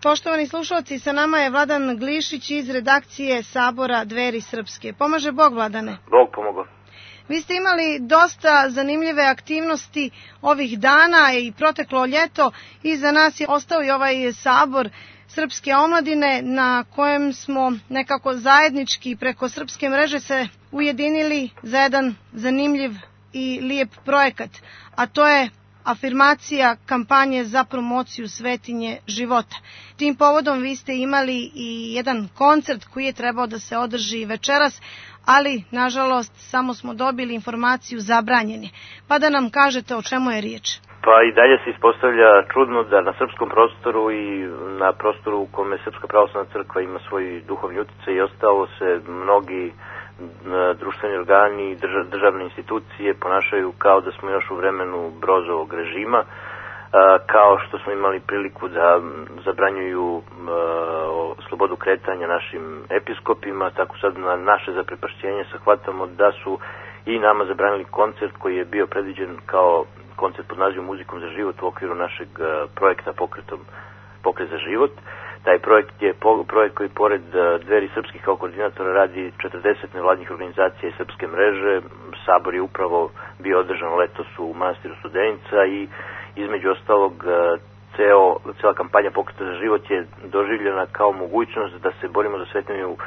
Poštovani slušalci, sa nama je Vladan Glišić iz redakcije Sabora Dveri Srpske. Pomaže Bog, Vladane? Bog pomogao. Vi ste imali dosta zanimljive aktivnosti ovih dana i proteklo ljeto. Iza nas je ostao i ovaj Sabor Srpske omladine na kojem smo nekako zajednički preko Srpske mreže se ujedinili za jedan zanimljiv i lijep projekat, a to je afirmacija kampanje za promociju svetinje života. Tim povodom vi ste imali i jedan koncert koji je trebao da se održi večeras, ali nažalost samo smo dobili informaciju zabranjeni. Pa da nam kažete o čemu je riječ. Pa i dalje se ispostavlja čudno da na srpskom prostoru i na prostoru u kome Srpska pravoslavna crkva ima svoj duhovni utjecaj i ostalo se mnogi društveni organi i državne institucije ponašaju kao da smo još u vremenu Brozovog režima, kao što smo imali priliku da zabranjuju slobodu kretanja našim episkopima, tako sad na naše zaprepašćenje shvatamo da su i nama zabranili koncert koji je bio predviđen kao koncert pod nazivom Muzikom za život u okviru našeg projekta Pokret za život. Taj projekt je projekt koji pored Dveri Srpskih kao koordinatora radi 40 nevladnih organizacija i Srpske mreže. Sabor je upravo bio održan letos u manastiru Studenica i između ostalog cela kampanja Pokreta za život je doživljena kao mogućnost da se borimo za svetinju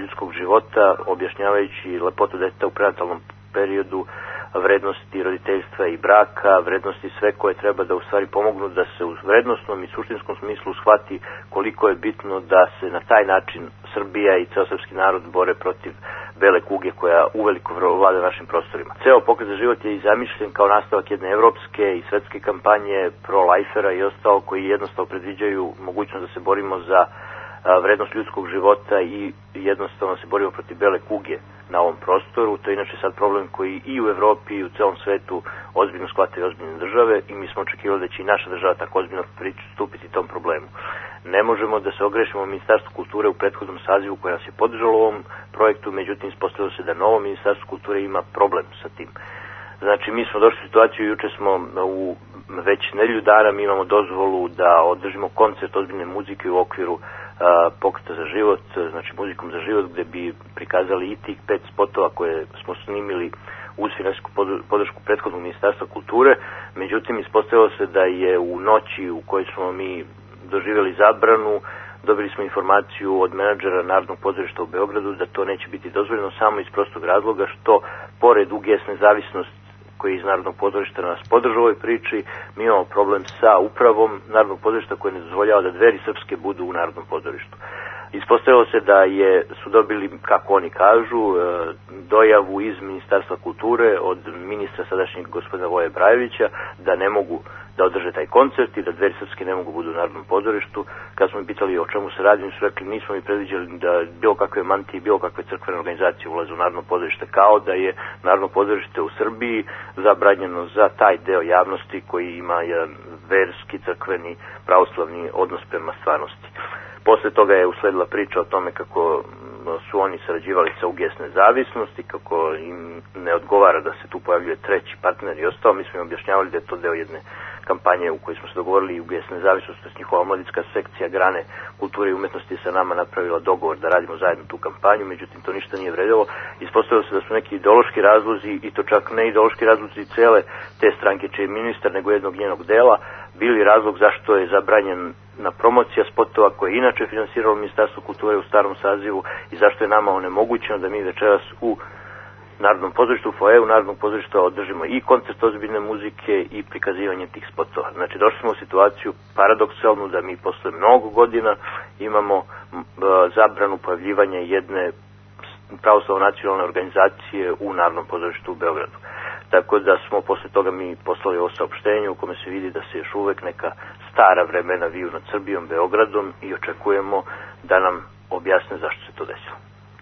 ljudskog života, objašnjavajući lepotu deteta u prenatalnom periodu, vrednosti roditeljstva i braka, vrednosti sve koje treba da u stvari pomognu da se u vrednostnom i suštinskom smislu shvati koliko je bitno da se na taj način Srbija i ceo srpski narod bore protiv bele kuge koja uveliko vlada našim prostorima. Ceo Pokret za život je i zamišljen kao nastavak jedne evropske i svetske kampanje pro-lifera i ostalo koji jednostavno predviđaju mogućnost da se borimo za vrednost ljudskog života i jednostavno se borimo protiv bele kuge na ovom prostoru. To je inače sad problem koji i u Evropi i u celom svetu ozbiljno shvataju ozbiljne države i mi smo očekivali da će i naša država tako ozbiljno pristupiti tom problemu. Ne možemo da se ogrešimo Ministarstvo kulture u prethodnom sazivu koja nas je podržalo u ovom projektu, međutim ispostavilo se da novo Ministarstvo kulture ima problem sa tim. Znači, mi smo došli u situaciju, juče smo u već nedelju dana, mi imamo dozvolu da održimo koncert ozbiljne muzike u okviru Pokreta za život, znači Muzikom za život, gde bi prikazali i tih 5 spotova koje smo snimili uz finansijsku podršku prethodnog Ministarstva kulture. Međutim, ispostavilo se da je u noći u kojoj smo mi doživjeli zabranu, dobili smo informaciju od menadžera Narodnog pozorišta u Beogradu da to neće biti dozvoljeno samo iz prostog razloga što pored UGS nezavisnost koji iz Narodnog pozorišta nas podržava u ovoj priči, mi imamo problem sa upravom Narodnog pozorišta koji ne dozvoljava da Dveri Srpske budu u Narodnom pozorištu. Ispostavilo se da su dobili, kako oni kažu, dojavu iz Ministarstva kulture od ministra sadašnjeg gospodina Voje Brajevića da ne mogu da održe taj koncert i da Dveri Srpske ne mogu budu u Narodnom pozorištu. Kad smo pitali o čemu se radi, mi su rekli nismo mi predviđali da bilo kakve mantije, bilo kakve crkvene organizacije ulaze u Narodno pozorište, kao da je Narodno pozorište u Srbiji zabranjeno za taj deo javnosti koji ima jedan verski, crkveni, pravoslavni odnos prema stvarnosti. Posle toga je usledila priča o tome kako su oni sarađivali sa UGS nezavisnosti, kako im ne odgovara da se tu pojavljuje treći partner i ostalo. Mi smo im objašnjavali da je to deo jedne kampanje u kojoj smo se dogovorili i UGS nezavisnost, to je njihova omladinska sekcija grane kulture i umetnosti sa nama napravila dogovor da radimo zajedno tu kampanju, međutim to ništa nije vredilo. Ispostavilo se da su neki ideološki razlozi, i to čak ne ideološki razlozi cele te stranke čiji je ministar, nego jednog njenog dela, bili razlog zašto je zabranjen na promocija spotova koje je inače finansiralo Ministarstvo kulture u starom sazivu i zašto je nama onemogućeno da mi večeras u Narodnom pozorištu, u foajeu Narodnog pozorišta održimo i koncert ozbiljne muzike i prikazivanje tih spotova. Znači došli smo u situaciju paradoksalnu da mi posle mnogo godina imamo zabranu pojavljivanja jedne pravoslavno nacionalne organizacije u Narodnom pozorištu u Beogradu. Tako da smo posle toga mi poslali ovo saopštenje u kome se vidi da se još uvek neka stara vremena viju nad Srbijom, Beogradom i očekujemo da nam objasne zašto se to desilo.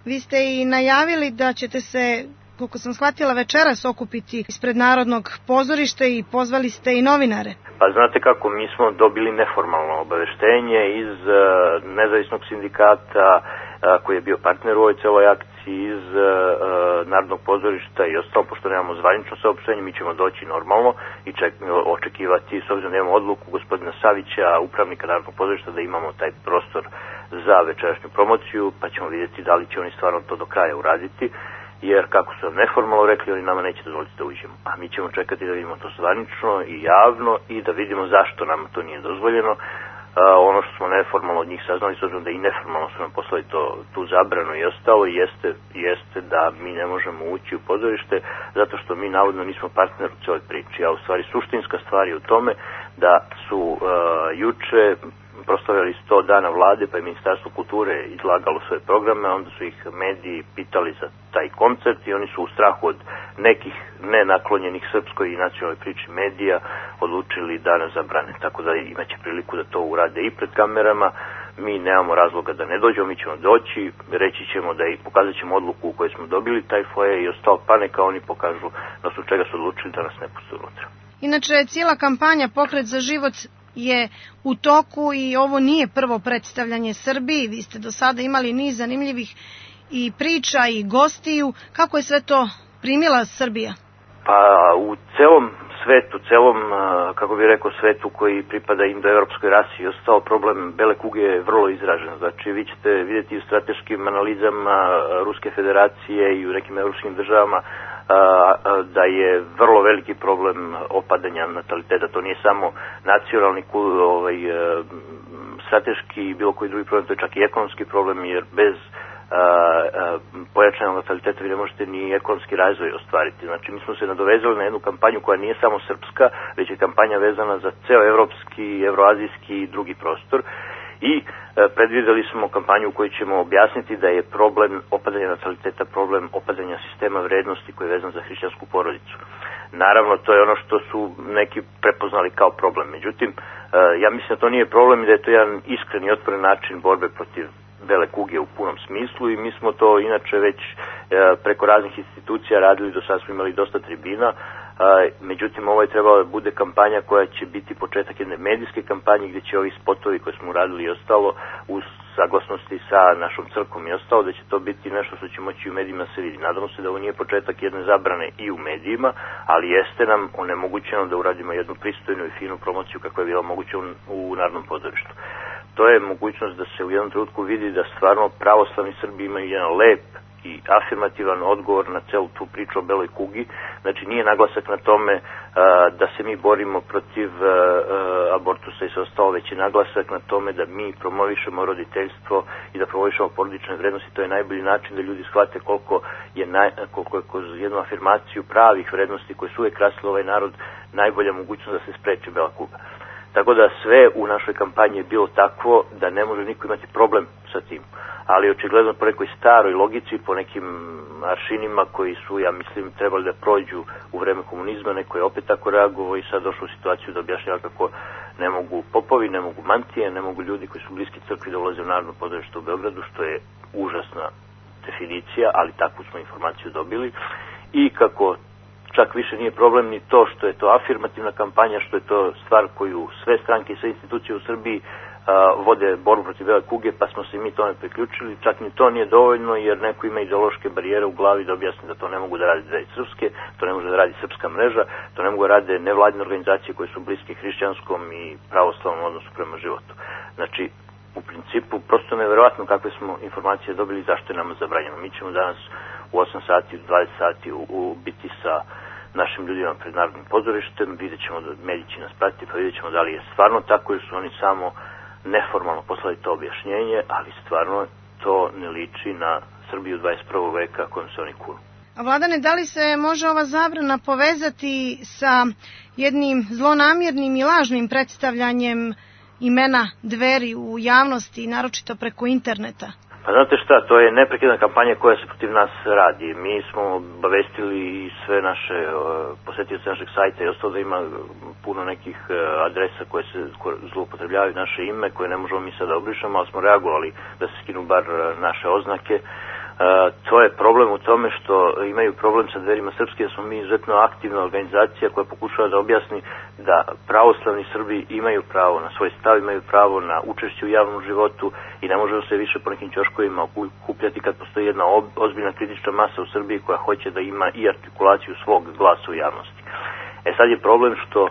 Vi ste i najavili da ćete se, koliko sam shvatila, večeras okupiti ispred Narodnog pozorišta i pozvali ste i novinare. Pa znate kako, mi smo dobili neformalno obaveštenje iz nezavisnog sindikata koji je bio partner u ovoj celoj akciji, iz Narodnog pozorišta i ostalo, pošto nemamo zvanično saopštenje, mi ćemo doći normalno i očekivati, s obzirom da imamo odluku gospodina Savića, upravnika Narodnog pozorišta, da imamo taj prostor za večerašnju promociju, pa ćemo vidjeti da li će oni stvarno to do kraja uraditi, jer kako su nam neformalno rekli, oni nama neće dozvoliti da uđemo. A mi ćemo čekati da vidimo to zvanično i javno i da vidimo zašto nam to nije dozvoljeno. Ono što smo neformalno od njih saznali, s obzirom da i neformalno su nam poslali tu zabranu i ostalo, jeste da mi ne možemo ući u pozorište zato što mi navodno nismo partner u cijeloj priči. A u stvari suštinska stvar je u tome da su juče proslavljali 100 dana vlade, pa je Ministarstvo kulture izlagalo svoje programe, onda su ih mediji pitali za taj koncert i oni su u strahu od nekih nenaklonjenih srpskoj i nacionalnoj priči medija odlučili da nas zabrane. Tako da imaće priliku da to urade i pred kamerama. Mi nemamo razloga da ne dođemo, mi ćemo doći, reći ćemo da i pokazat ćemo odluku u kojoj smo dobili taj foje i ostalo, pa neka oni pokažu na osnovu čega su odlučili da nas ne puste unutra. Inače, cijela kampanja Pokret za život je u toku i ovo nije prvo predstavljanje Srbiji. Vi ste do sada imali niz zanimljivih i priča i gostiju. Kako je sve to primila Srbija? Pa u celom svetu, kako bih rekao, svetu koji pripada indoevropskoj rasi i ostao, problem bele kuge je vrlo izražen. Znači, vi ćete vidjeti u strateškim analizama Ruske federacije i u nekim evropskim državama da je vrlo veliki problem opadanja nataliteta. To nije samo nacionalni, strateški i bilo koji drugi problem, to je čak i ekonomski problem, jer bez pojačanog nataliteta vi ne možete ni ekonomski razvoj ostvariti. Znači, mi smo se nadovezali na jednu kampanju koja nije samo srpska, već je kampanja vezana za ceo evropski, evroazijski i drugi prostor. I predvideli smo kampanju u kojoj ćemo objasniti da je problem opadanja nataliteta problem opadanja sistema vrednosti koji je vezan za hrišćansku porodicu. Naravno, to je ono što su neki prepoznali kao problem. Međutim, ja mislim da to nije problem i da je to jedan iskren i otvoren način borbe protiv bele kuge u punom smislu i mi smo to inače već preko raznih institucija radili, do sada smo imali dosta tribina. Međutim, ovo je trebalo da bude kampanja koja će biti početak jedne medijske kampanje gdje će ovi spotovi koje smo uradili i ostalo u saglasnosti sa našom crkvom i ostalo, da će to biti nešto što će moći u medijima se vidi. Nadamo se da ovo nije početak jedne zabrane i u medijima, ali jeste nam onemogućeno da uradimo jednu pristojnu i finu promociju kako je bila moguće u Narodnom pozorištu. To je mogućnost da se u jednom trenutku vidi da stvarno pravoslavni Srbi imaju jedan lep i afirmativan odgovor na celu tu priču o beloj kugi. Znači, nije naglasak na tome da se mi borimo protiv abortusa i sve ostalo, već je naglasak na tome da mi promovišemo roditeljstvo i da promovišemo porodične vrednosti. To je najbolji način da ljudi shvate koliko je kroz jednu afirmaciju pravih vrednosti koje su uvek krasile ovaj narod najbolja mogućnost da se spreči bela kuga. Tako da sve u našoj kampanji je bilo takvo da ne može niko imati problem sa tim. Ali očigledno po nekoj staroj logici, po nekim aršinima koji su, ja mislim, trebali da prođu u vreme komunizma, neko je opet tako reagovao i sad došlo u situaciju da objašnjava kako ne mogu popovi, ne mogu mantije, ne mogu ljudi koji su bliski crkvi da ulaze u Narodno pozorište u Beogradu, što je užasna definicija, ali takvu smo informaciju dobili. I kako čak više nije problem ni to što je to afirmativna kampanja, što je to stvar koju sve stranke i sve institucije u Srbiji vode borbu protiv bele kuge, pa smo se mi tome priključili. Čak ni to nije dovoljno, jer neko ima ideološke barijere u glavi da objasni da to ne mogu da radi srpske, to ne može da radi srpska mreža, to ne mogu da rade nevladine organizacije koje su bliske hrišćanskom i pravoslavnom odnosu prema životu. Znači, u principu, prosto neverovatno kakve smo informacije dobili, zašto je nama zabranjeno. Mi ćemo danas u 8 sati, u 20 sati biti sa našim ljudima pred Narodnim pozorištem, vidjet ćemo da mediji će nas pratiti, pa vidjet ćemo da li je stvarno tako ili su oni samo neformalno poslali to objašnjenje, ali stvarno to ne liči na Srbiju 21. veka kojom se oni kunu. A Vladane, da li se može ova zabrana povezati sa jednim zlonamjernim i lažnim predstavljanjem imena Dveri u javnosti, naročito preko interneta? Pa znate šta, to je neprekidna kampanja koja se protiv nas radi. Mi smo obavestili sve naše posetioce našeg sajta i ostalo da ima puno nekih adresa koje se zloupotrebljavaju naše ime, koje ne možemo mi sada obrišamo, ali smo reagovali da se skinu bar naše oznake. To je problem u tome što imaju problem sa Dverima Srpske, jer smo mi izuzetno aktivna organizacija koja pokušava da objasni da pravoslavni Srbi imaju pravo na svoj stav, imaju pravo na učešće u javnom životu i ne možemo se više po nekim ćoškovima okupljati kad postoji jedna ozbiljna kritična masa u Srbiji koja hoće da ima i artikulaciju svog glasa u javnosti. Sad je problem što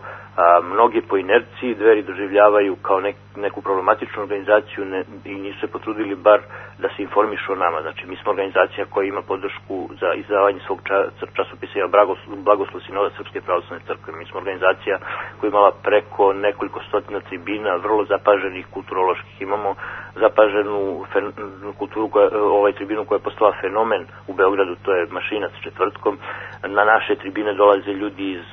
mnogi po inerciji Dveri doživljavaju kao neku problematičnu organizaciju i nisu se potrudili bar da se informišu o nama. Znači, mi smo organizacija koja ima podršku za izdavanje svog časopisa Blagoslov Sinoda Srpske pravoslavne crkve. Mi smo organizacija koja imala preko nekoliko stotina tribina, vrlo zapaženih kulturoloških. Imamo zapaženu tribinu koja je postala fenomen u Beogradu, to je Mašinac četvrtkom. Na naše tribine dolaze ljudi iz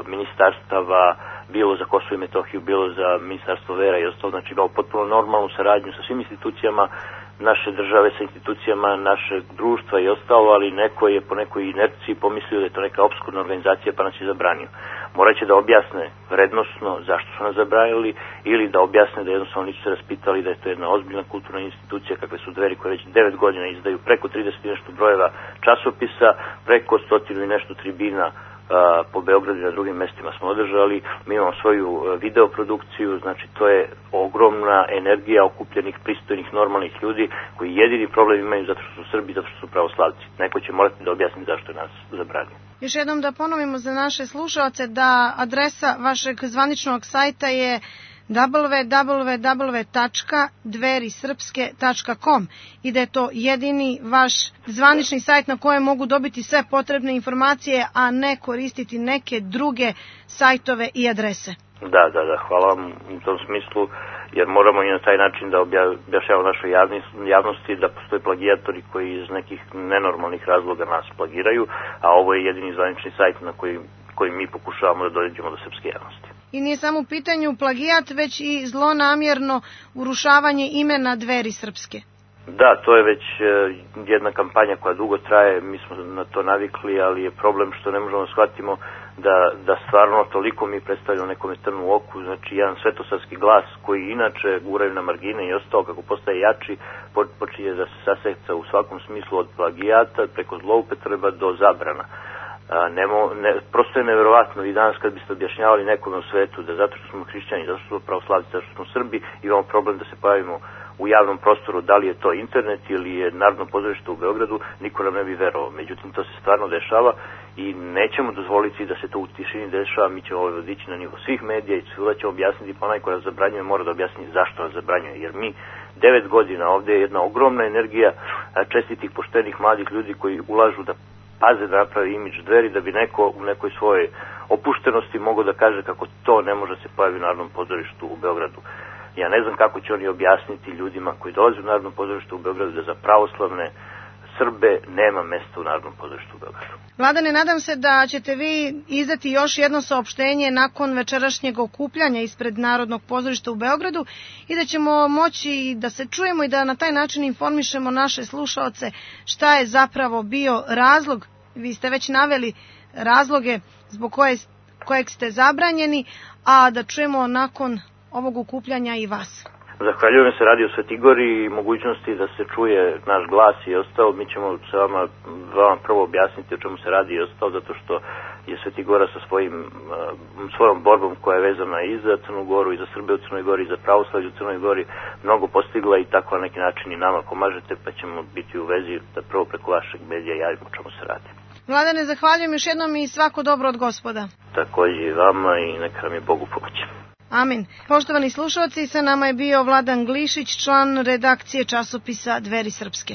ministarstava, bilo za Kosovo i Metohiju, bilo za Ministarstvo vera i ostalo, znači imamo potpuno normalnu saradnju sa svim institucijama naše države, sa institucijama našeg društva i ostalo, ali neko je po nekoj inerciji pomislio da je to neka opskurna organizacija pa nas je zabranio. Moraće da objasne vrednosno zašto su nas zabranili ili da objasne da jednostavno nisu se raspitali da je to jedna ozbiljna kulturna institucija kakve su Dveri koje već 9 godina izdaju preko 30 i nešto brojeva časopisa, preko 100 i nešto tribina po Beogradu i na drugim mestima smo održali. Mi imamo svoju videoprodukciju, znači to je ogromna energija okupljenih, pristojnih, normalnih ljudi koji jedini problem imaju zato što su Srbi, zato što su pravoslavci. Neko će morati da objasni zašto je nas zabranio. Još jednom da ponovimo za naše slušaoce da adresa vašeg zvaničnog sajta je www.dverisrpske.com i da je to jedini vaš zvanični sajt na kojem mogu dobiti sve potrebne informacije, a ne koristiti neke druge sajtove i adrese. Da, hvala vam u tom smislu, jer moramo i na taj način da objašnjavamo našoj javnosti da postoje plagijatori koji iz nekih nenormalnih razloga nas plagiraju, a ovo je jedini zvanični sajt na koji mi pokušavamo da dođemo do srpske javnosti. I nije samo u pitanju plagijat, već i zlonamjerno urušavanje imena Dveri Srpske. Da, to je već jedna kampanja koja dugo traje, mi smo na to navikli, ali je problem što ne možemo shvatimo da stvarno toliko mi predstavljamo nekome trnu u oku, znači jedan svetosavski glas koji inače guraju na margine i ostao kako postaje jači, počinje da se saseca u svakom smislu od plagijata preko zloupotreba do zabrana. Prosto je neverovatno i danas kad biste objašnjavali nekome u svetu da zato što smo hrišćani, zato što smo pravoslavci, zato što smo Srbi, imamo problem da se pojavimo u javnom prostoru, da li je to internet ili je Narodno pozorište u Beogradu, niko nam ne bi verovao. Međutim, to se stvarno dešava i nećemo dozvoliti da se to u tišini dešava. Mi ćemo ovo dići na nivo svih medija i svuda ćemo objasniti, pa onaj koja nas zabranjuje mora da objasni zašto nas zabranjuje. Jer mi 9 godina ovde je jedna ogromna energija čestitih, poštenih, mladih ljudi koji ulažu da paze da napravi imidž Dveri, da bi neko u nekoj svojoj opuštenosti mogao da kaže kako to ne može se pojaviti u Narodnom pozorištu u Beogradu. Ja ne znam kako će oni objasniti ljudima koji dolaze u Narodno pozorište u Beogradu da za pravoslavne Srbe nema mesta u Narodnom pozorištu u Beogradu. Vladane, nadam se da ćete vi izdati još jedno saopštenje nakon večerašnjeg okupljanja ispred Narodnog pozorišta u Beogradu i da ćemo moći da se čujemo i da na taj način informišemo naše slušaoce šta je zapravo bio razlog. Vi ste već naveli razloge zbog kojeg ste zabranjeni, a da čujemo nakon ovog okupljanja i vas. Zahvaljujem se Radio Svetigori i mogućnosti da se čuje naš glas i ostao. Mi ćemo se vama prvo objasniti o čemu se radi i ostao, zato što je Svetigora sa svojom borbom koja je vezana i za Crnu Goru i za Srbe u Crnoj Gori i za pravoslavlje u Crnoj Gori mnogo postigla i tako na neki način i nama pomažete, pa ćemo biti u vezi da prvo preko vašeg medija javimo o čemu se radi. Vladane, zahvaljujem još jednom i svako dobro od Gospoda. Takođe i vama i neka nam je Bogu pomoći. Amin. Poštovani slušalci, sa nama je bio Vladan Glišić, član redakcije časopisa Dveri Srpske.